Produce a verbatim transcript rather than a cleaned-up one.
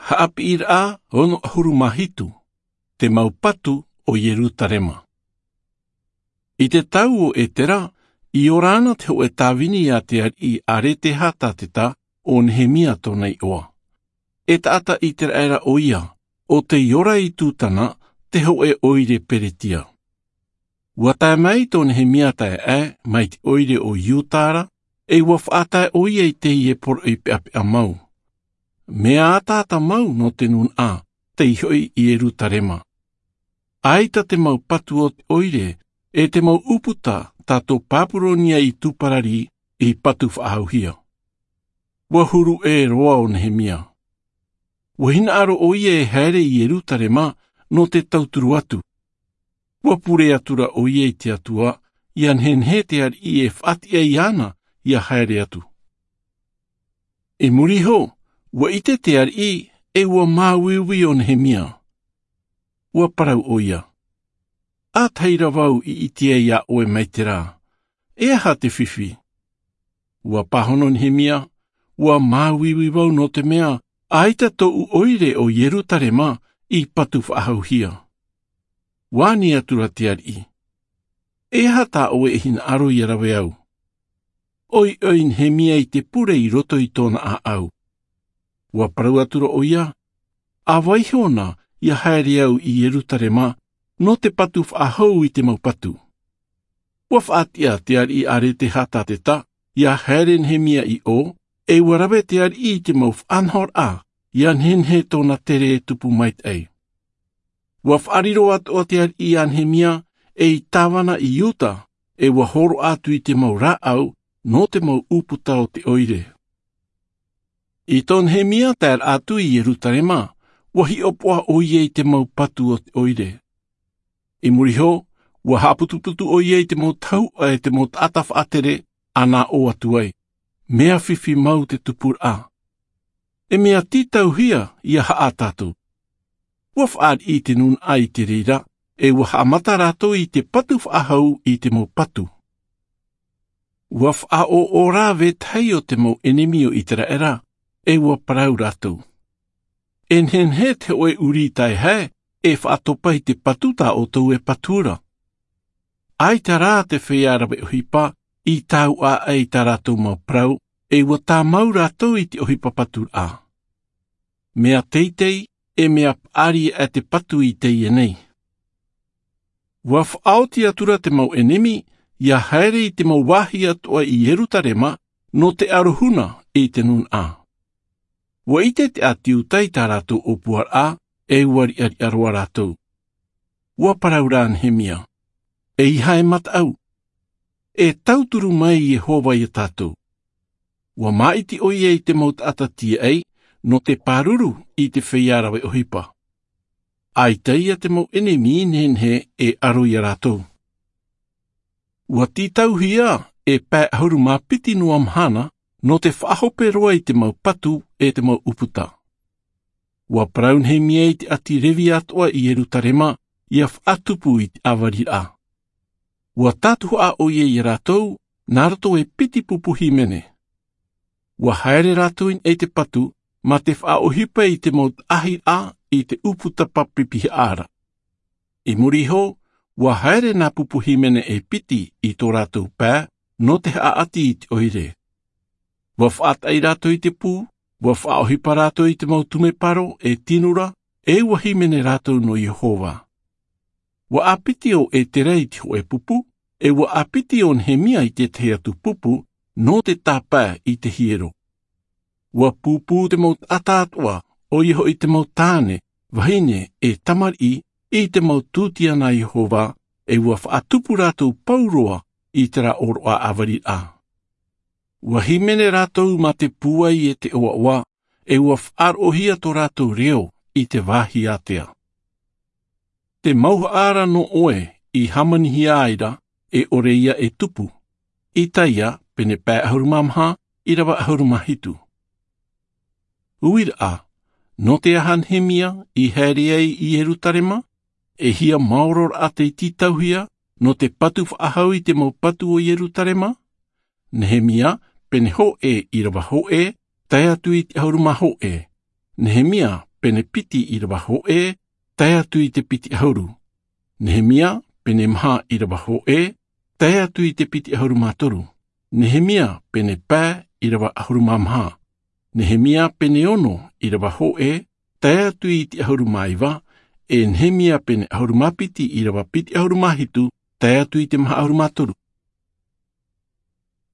Haʻapiʻiraʻa ono ʻahuru mā hitu. Te mau patu o Ierutarema. I te tau o Etera, i ora ana te hōʻē tāvini a te ariʻi Aretehata te ta o Nehemia tōna iʻoa. E taʻata Iteraera ʻo ia, ʻo tei ora i Tutana, te hōʻē ʻoire Peretia. Ua tae mai tō Nehemia taeaʻe mai te ʻoire o Iuta ra, e ua faʻatae ʻo ia i teie poroʻi peʻapeʻa mau. Mea ataata mau nō te nūnaʻa, tei hoʻi i Ierutarema. ʻAita te mau patu o te ʻoire, e te mau ʻūputa tā tō Papuronia i tūparari i patu faʻahouhia. Ua huru ʻē roa ʻo Nehemia. Ua hinaʻaro ʻo ia e haere i Ierutarema nō te tauturu atu. Ua pure atura ʻo ia i te Atua, ʻia nehenehe te ariʻi e faʻatiʻa iāna ʻia haere atu. I muri iho, ua ʻite te ariʻi, e ua māuiui ʻo Nehemia. Ua parau ʻo ia. ʻĀtahi ra vau i ʻite ai iā ʻoe mai te rā. E aha te fifi? Ua pāhono Nehemia, ua māuiui vau nō te mea, ʻaita tōʻu ʻoire o Ierutarema i patu faʻahouhia. Ua ani atura te ariʻi. E aha tā ʻoe e hinaʻaro ʻia rave au? ʻOiʻoi Nehemia i te pure i roto i tōna ʻāʻau. Ua parau atura ʻo ia, ʻa vaiho na ʻia haere au i Ierutarema, nō te patu faʻahou i te mau patu. Ua faʻatiʻa te ariʻi Aretehata te ta, ʻia haere Nehemia i ʻō, e ua rave te ariʻi i te mau faʻanahoraʻa, ʻia nehenehe tōna tere e tupu maitaʻi. Ua faʻariro atoʻa te ariʻi iā Nehemia, ei tāvana i Iuta, e ua hōroʻa atu i te mau rāʻau, nō te mau ʻūputa o te ʻoire. I tō Nehemia taeraʻa atu i Ierutarema, ua hiʻopoʻa ʻo ia i te mau patu o te ʻoire. I muri iho, ua haʻaputuputu ʻo ia i te mau tahuʻa e te mau taʻata faʻatere, ʻa nāʻō atu ai, mea fifi mau te tupuraʻa. E mea tītauhia ʻia haʻa tātou. Ua fāriʻi te nūnaʻa i te reira, e ua haʻamata rātou i te patu faʻahou i te mau patu. Ua faʻaʻoʻo rā vetahi o te mau ʻenemi o Iteraera, e ua parau rātou. E nehenehe te hōʻē ʻuri taehae, e faʻatopa i te patu tā ʻoutou e patu ra. ʻAita rā te feiā rave ʻohipa, i tāuʻa ai tā rātou mau parau, e ua tāmau rātou i te ʻohipa paturaʻa. Mea teitei, e mea paʻari aʻe te patu i teie nei. Ua faʻaoti atura te mau ʻenemi, ʻia haere i te mau vāhi atoʻa i Ierutarema, nō te ʻarohuna i te nūnaʻa. Ua ʻite te ʻāti Iuta i tā rātou ʻōpuaraʻa, e ua riʻariʻa roa rātou. Ua parau rā Nehemia. Eiaha e mataʻu. E tauturu mai Iehova iā tātou. Ua māʻiti ʻo ia i te mau taʻata tīaʻi, nō te pāruru i te feiā rave ʻohipa. ʻAita ia te mau ʻenemi nehenehe e ʻaro iā rātou. Ua tītauhia e pae ʻahuru mā piti noa mahana, nō te faʻahope roa i te mau patu e te mau ʻūputa. Ua parau Nehemia i te ʻāti Revi atoʻa i Ierutarema, ʻia faʻatupu i te ʻāvariraʻa. Ua tātuhaʻa ʻo ia iā rātou, nā roto e piti pupu hīmene. Ua haere rātou i niʻa i te patu, mā te faʻaʻohipa i te mau taʻahiraʻa i te ʻūputa papipihaʻa ra. I muri iho, ua haere nā pupu hīmene e piti i tō rātou pae, nō te haʻaʻati i te ʻoire. Ua faʻataʻi rātou i te pū, ua faʻaʻohipa rātou i te mau tumeparo e tino ra, e ua hīmene rātou nō Iehova. Ua ʻāpiti ʻo Etera i te hōʻē pupu, e ua ʻāpiti ʻo Nehemia i te tahi atu pupu, nō te tāpae i te hiero. Ua pūpū te mau taʻata atoʻa, ʻoia hoʻi te mau tāne, vahine, e tamariʻi, i te mau tūtiana a Iehova, e ua faʻatupu rātou pauroa i terā ʻōroʻa ʻāvariraʻa. Ua hīmene rātou mā te pūai e te ʻoaʻoa, e ua faʻaroʻohia tō rātou reo i te vāhi ātea. Te mauhaʻa ra nō ʻoe i hāmanihia ai ra, e ʻore ia e tupu. Isaia, pene pae ʻahuru mā maha, ʻīrava ʻahuru mā hitu. Uiraʻa, nō te aha Nehemia i haere ai i Ierutarema, e hia maoro raʻa tei tītauhia, nō te patu faʻahou i te mau patu o Ierutarema? Nehemia, pene hōʻē ʻīrava hōʻē, tae atu i te ʻahuru mā hōʻē. Nehemia, pene piti ʻīrava hōʻē, tae atu i te piti ʻahuru. Nehemia, pene maha ʻīrava hōʻē, tae atu i te piti ʻahuru mā toru. Nehemia, pene pae ʻīrava ʻahuru mā maha. Nehemia, pene ono ʻīrava hōʻē, tae atu i te ʻahuru mā iva, e Nehemia, pene ʻahuru mā piti ʻīrava piti ʻahuru mā hitu, tae atu i te maha ʻahuru mā toru.